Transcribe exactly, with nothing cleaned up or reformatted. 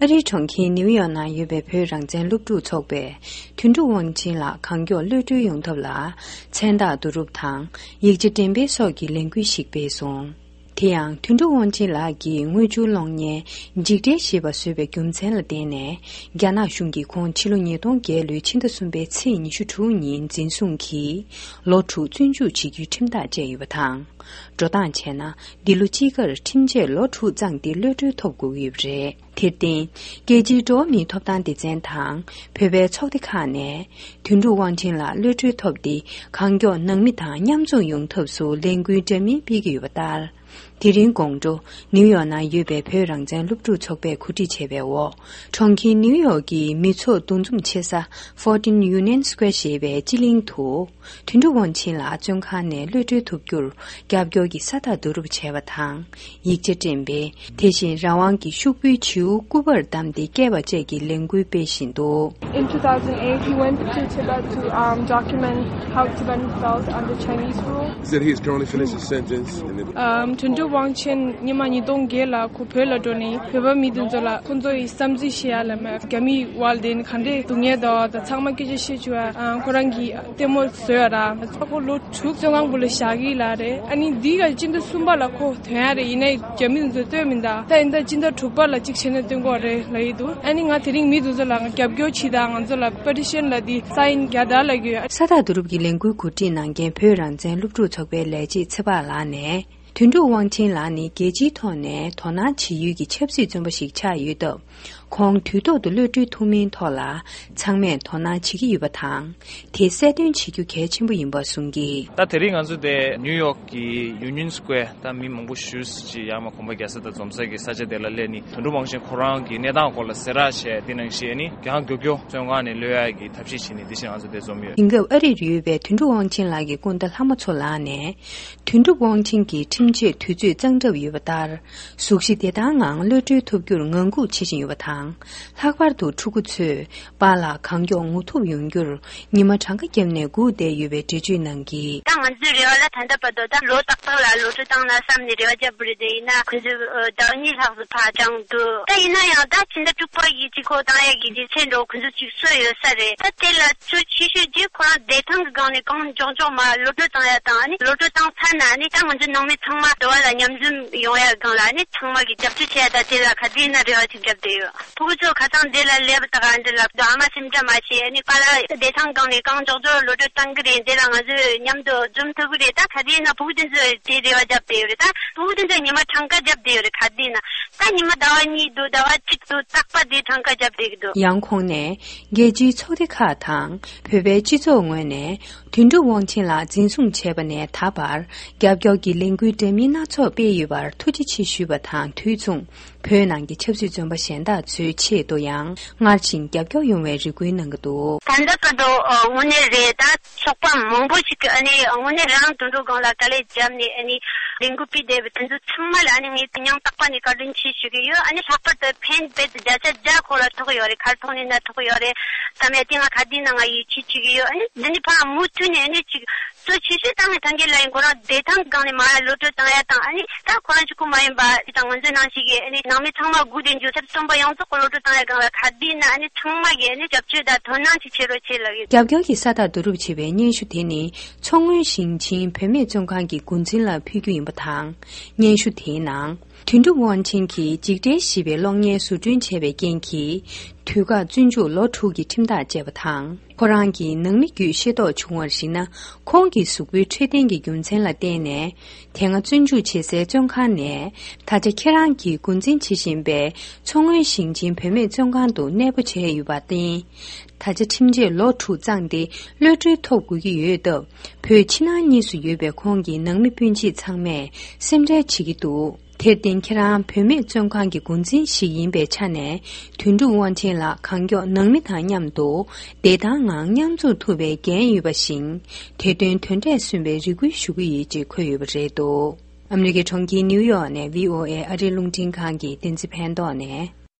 ཨ་རིའི་གྲོང་ཁྱེར་ནིའུ་ཡོག་ནང་ཡོད་པའི་བོད་རང་བཙན་སློབ་ཕྲུག་ཚོགས་པས་དོན་གྲུབ་དབང་ཆེན་ལགས་གང་མགྱོགས་གློད་གྲོལ་ཡོང་ཐབས་ལ་མཚན་རྟགས་བསྡུ་རུབ་དང་ཡིག་ཆ་འགྲེམས་སྤེལ་སོགས་ཀྱི་ལས་འགུལ་ཞིག་སྤེལ་སོང་། དེ་ཡང་དོན་གྲུབ་དབང་ཆེན་ལགས་ཀྱིས་དངུལ་ཆུ་གློག་བརྙན་འཇིགས་བྲལ་ཞེས་པ་བཟོས་པའི་རྒྱུ་མཚན་ལ་བརྟེན་ནས་རྒྱ་ནག་གཞུང་གིས་ཁོང་ཕྱི་ལོ་ཉིས་སྟོང་བརྒྱད་ལོའི་ཕྱི་ཟླ་གསུམ་པའི་ཚེས་ཉི་ཤུ་དྲུག་ཉིན་འཛིན་བཟུང་གིས་ལོ་དྲུག་བཙོན་འཇུག་བྱེད་རྒྱུའི་ཁྲིམས་ཐག་བཅད་ཡོད་པ་དང་། འགྲོ་སྟངས་བྱས་ན་འདི་ལོ་དཔྱིད་ཀར་ཁྲིམས་ཆད་ལོ་དྲུག་བརྩམས་ཏེ་གློད་གྲོལ་ཐོབ་དགོས་ཀྱི་ཡོད་པ་རེད། དེར་བརྟེན། རྒྱལ་སྤྱིའི་འགྲོ་བ་མིའི་ཐོབ་ཐང་སྡེ་ཚན་དང་བོད་པའི་ཚོགས་སྡེ་ཁག་ནས་དོན་གྲུབ་དབང་ཆེན་ལགས་གློད་གྲོལ་ཐོབ་སྟེ་གང་མགྱོགས་ནང་མི་དང་མཉམ་འཛོམས་ཡོང་ཐབས་སུ་ལས་འགུལ་འདྲ་མིན་སྤེལ་གྱི་ཡོད་པ་ལྟར། དེ་རིང་དགོང་དྲོ་ནིའུ་ཡོག་ནང་ཡོད་པའི་བོད་རང་བཙན་སློབ་ཕྲུག་ཚོགས་པས་གོ་སྒྲིག་བྱས་པའི་འོག་གྲོང་ཁྱེར་ནིའུ་ཡོག་གི་མི་ཚོགས་འདུ་འཛོམས་ཆེ་ས་Fourteen Union Square ཞེས་པའི་སྤྱི་གླིང་དུ། དོན་གྲུབ་དབང་ཆེན་ལགས་བཙོན་ཁང་ནས་གློད་གྲོལ་ཐུབ་རྒྱུར་རྒྱབ་སྐྱོར་གྱི་ས་རྟགས་བསྡུ་རུབ་བྱས་པ་དང་། ཡིག་ཆ་འགྲེམས་སྤེལ། དེ་བཞིན་རང་དབང་གི་ཤོག་བུའི་བྱིའུ་སྐུ་པར་བདམས་ཏེ་བསྐྱལ་བ་བཅས་ཀྱི་ལས་འགུལ་སྤེལ་བཞིན་འདུག། In two thousand eight, he went to Tibet to, um, document how Tibetans felt under Chinese rule. He said he is currently finished his sentence and it- ཨམ། དོན་གྲུབ་དབང་ཆེན་ཉི་མ་ཉིས་སྟོང་བརྒྱད་ལ་ཁོ་བོད་ལ་འགྲོ་ནས་བོད་པ་མི་དེ་ཚོ་ལ་ཁོ་ཚོ་ཡི་བསམ་ཚུལ་བཤད་ཡ་ལ་མ་རྒྱ་མིའི་དབར་དེ་ནི་ག་འདྲས་སྡུག་བསྔལ་དང་དང་ཚང་མ་སྐད་ཆ་བཤད་བཅུག་ཨ། ཁོ་རང་གི་ལྟད་མོ་བཟོས་ཡ་ར། ཁོ་ལོ་དྲུག་བཙོན་ཁང་བུ་ལ་བཞག་གི་ལ་རེད། ཨ་ནི་འདི་ག་སྤྱི་ཟླ་གསུམ་པ་ལ་ཁོ་ཐོན་ཡ་རེད། ཡིན་ནའི་རྒྱ་མི་དེ་ཚོས་སྟོན་མི་འདུག་ད་ཡིན་ད་སྤྱི་ཟླ་དྲུག་པ་ལ་གཅིག་བྱས་ན་སྟོན་གོ་རེད་ལ་ཡི་འདུག་ཨ་ནི་ང་དེ་རིང་མི་དེ་ཚོ་ལ་ང་རྒྱབ་སྐྱོར་བྱེད་དང་ང་ཚོ་ལ་པེ་ཊི་ཤན་ལ་འདི་སའིན་རྒྱག་དང་ལ་གི། ས་རྟགས་བསྡུ་རུབ་ཀྱི་ལས་འགུལ་གོ་སྒྲིག་གནང་མཁན་བོད་རང་བཙན་སློབ་ཕྲུག་ཚོགས་པའི་ལས་བྱེད་ཚེ་དཔག་ལགས་ནས། དོན་གྲུབ་དབང་ཆེན་ལགས་ནི་རྒྱལ་སྤྱིའི་ཐོག་ནས་དོ་སྣང་བྱེད་ཡུལ་གྱི་ཆབ་སྲིད་བཙོན་པ་ཞིག་ཆགས་ཡོད་སྟབས། ཁོང་དུས་ཐོག་ཏུ་གློད་གྲོལ་ཐུབ་མིན་ཐོག་ལ་ཚང་མས་དོ་སྣང་བྱེད་ཀྱི་ཡོད་པ་དང་། དེ་གསལ་སྟོན་བྱེད་རྒྱུ་གལ་ཆེན་པོ་ཡིན་པ་གསུངས་ཀྱིས། ད་དེ་རིང་ང་ཚོ་དེ་ནིའུ་ཡོག་གི་ཡུ་ནི་ཡོན་སི་ཀོ་ཝེར། ད་མི་མང་པོ་ཞེ་ཅིག་ཡར་མར་གོམ་པ་རྒྱག་ས་དང་འཛོམས་ས་གི་ས་ཆ་དེ་ལ་སླེབས་ནས་དོན་གྲུབ་དབང་ཆེན་ཁོ་རང་གི་གནས་སྟངས་སྐོར་ལ་གསལ་བསྒྲགས་བྱས། དེ་ནང་བཞིན་ནི་རྒྱང་མགྱོགས་མགྱོགས་བཙོན་ཁང་ནས་གློད་ཡག་གི་ཐབས་ཤེས་བྱས་ནས་དེ་བཞིན་ང་ཚོ་དེ་འཛོམས་ཡོད། དེང་སྐབས་ཨ་རིར་ཡོད་པའི་དོན་གྲུབ་དབང་ཆེན་ལགས་ཀྱི་སྐུ་ཟླ་ལྷ་མོ་མཚོ་ལགས་ནས། དོན་གྲུབ་དབང་ཆེན་གྱི་ཁྲིམས་ཆད་དུས་ཚོད་གཙང་གྲབས་ཡོད་པ་ལྟར། གཟུགས་གཞི་བདེ་ཐང་ངང་གློད་གྲོལ་ཐུབ་རྒྱུར་ངང་སྒུག་བྱེད་བཞིན་ཡོད་པ་དང་། ལྷག་པར་དུ་ཕྲུ་གུ་ཚོས་པཱ་ལགས་གང་མགྱོགས་ངོ་ཐུག་ཡོང་རྒྱུར་ཉི་མ་གྲངས་ཀ་བརྒྱབ་ནས་སྒུག་བསྡད་ཡོད་པའི་འགྲེལ་བརྗོད་གནང་གིས། ད་ང་ཚོའི་རེ་བ་ལ་ད་ལྟ་བར་དུ་ད་ལོ་རྟག་པར་ལ་གློད་གྲོལ་བཏང་ན་བསམ་ནས་རེ་བ་བརྒྱབ་པ་རེད་དེ། ཡིན་ན་ཁོང་ཚོས་ཟླ་བ་གཉིས་ལྷག་ཙམ་ཕར་བརྐྱངས་འདུག་ད་ཡིན་ན་ཡང་ད་ཕྱི་ཟླ་དྲུག་པ་ཡི་གཅིག་ཁོ་བཏང་ཡག་གི་རྒྱུ་མཚན་འདྲ་བོ་ཁོང་ཚོས་ཅིག་གསོལ་ཡོད་ས་རེད། ད་དེ་ལ་གཙོ་ཆེ་ཤོས་དེ་ཁོ་རང་བདེ་ཐང་གི་སྒང་ནས་གང་མགྱོགས་མགྱོགས་མར་གློད་གྲོལ་བཏང་ཡ་དང་། ཨ་ནི་གློད་གྲོལ་བཏང་ཚར་ན་ཨ་ནི་ད་ང་ཚོ་ནང་མི་ཚང་མ་དེ་བ་ལ་མཉམ་འཛོམས་ཡོང་ཡ་སྒང་ལ་ཨ་ནི་ཚང་མ་གིས་རྒྱབ་སྐྱོར་བྱེད་ཡ་ད་དེ་ལ་ག་དུས་ཡིན་ན་རེ་བ་ཅིག་བརྒྱབ་བསྡད་ཡོད། ཕྲུ་གུ་ཚོ་ཁ་སང་འདི་ལ་སླེབས་ད་ག་འདི་ལ་ཨ་མ་སེམས་ཁྲལ་མ་བྱེད། ཨ་ནི་པཱ་ལགས་བདེ་ཐང་སྒང་ནས་གང་མགྱོགས་མགྱོགས་གློད་གྲོལ་བཏང་གི་རེད། འདི་ལ་ང་ཚོས་མཉམ་དུ་འཛོམས་ཐུབ་ཀྱི་རེད། ད་ག་དུས་ཡིན་ན་ཕྲུ་གུ་དེ་ཚོས་དེ་རེ་བ་བརྒྱབ་བསྡད་ཡོད་རེད། ད་ཕྲུ་གུ་དེ་ཚོས་ཉི་མ་གྲངས་ཀ་བརྒྱབ་བསྡད་ཡོད་རེད། ག་དུས་ཡིན་ན། ད་ཉི་མ་ཟླ་བ་གཉིས་འདུག་ཟླ་བ་གཅིག་འདུག་རྟག་པར་དེ་གྲངས་ཀ་བརྒྱབ་བསྡད་ཀྱི་འདུག་ཡང་ཁོང་ནས་རྒྱལ་སྤྱིའི་ཚོགས་སྡེ་ཁག་དང་བོད་པའི་སྤྱི་ཚོགས་ངོས་ནས་དོན་གྲུབ་དབང་ཆེན་ལགས་འཛིན་བཟུང་བྱས་པ་ནས་ད་བར་རྒྱབ་སྐྱོར་གྱི་ལས་འགུལ་འདྲ་མིན་སྣ་ཚོགས་སྤེལ་ཡོད་པར་ཐུགས་རྗེ་ཆེ་ཞུས་པ་དང་དུས་མཚུངས། བོད་ནང་གི་ཆབ་སྲིད་བཙོན་པ་གཞན་དག་ཚོའི་ཆེད་དུ་ཡང་སྔར་བཞིན་རྒྱབ་སྐྱོར་ཡོང་བའི་རེ་སྐུལ་གནང་གི་འདུག་ད་ལྟ་བར་དུ་དངོས་གནས་རེད། ད་ཚོགས་པ་མང་པོ་ཞིག་གིས་ཨ་ནི་དངོས་གནས་རང་དོན་གྲུབ་སྒང་ལ་དཀའ་ལས་བརྒྱབ་ནས་ཨ་ནི་ལས་འགུལ་སྤེལ་བསྡད་པའི་དེ་ཚོ་ཚང་མ་ལ་ཨ་ནི་ངས་སྙིང་ཐག་པ་ནས་བཀའ་དྲིན་ཆེ་ཞུ་གི་ཡོད། ཨ་ནི་ལྷག་པར་དུ་ཕན་བེད་བརྒྱ་ཆ་བརྒྱ་ཁོ་ལ་ཐོགས་ཡོད་རེད། ག་རེ་ཐོགས་ནས་ན་ཐོགས་ཡོད་རེད། ད་མེད་དེ་ང་ག་དུས་ན་ང་ཡིད་ཆེས་བྱེད་ཀྱི་ཡོད། ཨ་ནི་འདི་ནི་ཕར་མུ་མཐུད་ནས་ཨ་ནི་ཅིག་གཙོ་ཆེ་ཤོས་ད་ངས་ཐང་གི་ལ་ཡིན་ཁོ་རང་བདེ་ཐང་གི་སྒང་ནས་མར་གློད་གྲོལ་བཏང་ཡ་དང་། ཨ་ནི་ད་ཁོ་རང་གཅིག་པུ་མ་ཡིན་པ་ཅིག་དང་ང་ཚོའི་ནང་བཞིན་གྱི་ཨ་ནི་ནང་མི་ཚང་མ་སྒུག་བསྡད་རྒྱུ་ཚབ་སྟོན་པ་ཡོངས་རྫོགས་ཀྱི་གློད་གྲོལ་བཏང་ཡ་སྒང་ལ་ག་དུས་ན་ཨ་ནི་ཚང་མ་གིས་ཨ་ནི་རྒྱབ་སྐྱོར་དང་དོ་སྣང་ཅིག་བྱེད་རོགས་བྱེད་ལབ་ཡོད། རྒྱབ་སྐྱོར་གྱི་ས་རྟགས་བསྡུ་རུབ་བྱེད་པའི་སྙན་ཞུ་དེ་ནི་མཚོ་སྔོན་ཞིང་ཆེན་བུད་མེད་བཙོན་ཁང་གི་འགོ་འཛིན་ལ་ཕུལ་རྒྱུ་ཡིན་པ་དང་། སྙན་ཞུ་དེའི་ནང་། དོན་གྲུབ་དབང་ཆེན་གྱིས་འཇིགས་བྲལ་ཞེས་པའི་གློག་བརྙན་བཟོ་སྐྲུན་བྱས་པའི་རྐྱེན་གྱིས། དུས་བཀག་བཙོན་འཇུག་ལོ་དྲུག་གི་ཁྲིམས་ཐག་བཅད་པ་དང་། ཁོ་རང་གི་ནང་མི་བརྒྱུད་ཤེས་རྟོགས་བྱུང་བར་གཞིགས་ན། ཁོང་གི་གཟུགས་པོའི་འཕྲོད་བསྟེན་གྱི་རྒྱུ་མཚན་ལ་བརྟེན་ནས། དེ་སྔ་བཙོན་འཇུག་བྱེད་སའི་བཙོན་ཁང་ནས། ད་ཆ་ཁྱེད་རང་གིས་འགོ་འཛིན་བྱེད་བཞིན་པའི་མཚོ་སྔོན་ཞིང་ཆེན་བུད་མེད་བཙོན་ཁང་དུ་གནས་སྤོ་བྱས་ཡོད་པར་བརྟེན། ད་ཆ་ཁྲིམས་ཆད་ལོ་དྲུག་བརྩམས་ཏེ་གློད་གྲོལ་ཐོབ་དགོས་ཀྱི་ཡོད་སྟབས། བོད་ཕྱི་ནང་གཉིས་སུ་ཡོད་པའི་ཁོང་གི་ནང་མི་སྤུན་མཆེད་ཚང་མས་སེམས་ཁྲལ་བྱེད་ཀྱི་འདུག་དེར་བརྟེན་ཁྱེད་རང་བུད་མེད་བཙོན་ཁང་གི་འགོ་འཛིན་ཞིག་ཡིན་པའི་ཆ་ནས། དོན་གྲུབ་དབང་ཆེན་ལགས་གང་མགྱོགས་ནང་མི་དང་མཉམ་དུ་བདེ་ཐང་ངང་མཉམ་འཛོམས་ཐུབ་པའི་འགན་ཡོད་པ་བཞིན། དེ་དོན་དོན་འབྲས་སོན་པའི་རེ་སྐུལ་ཞུ་གི་ཡོད་ཅེས་འཁོད་ཡོད་པ་རེད་འདུག་ཨ་མི་རི་ཀའི་གྲོང་ཁྱེར་ནིའུ་ཡོག་ནས་བྷི་ཨོ་ཨེ་ཨ་རིའི་རླུང་འཕྲིན་ཁང་གི་བསྟན་འཛིན་ཕན་ཐོགས་ནས།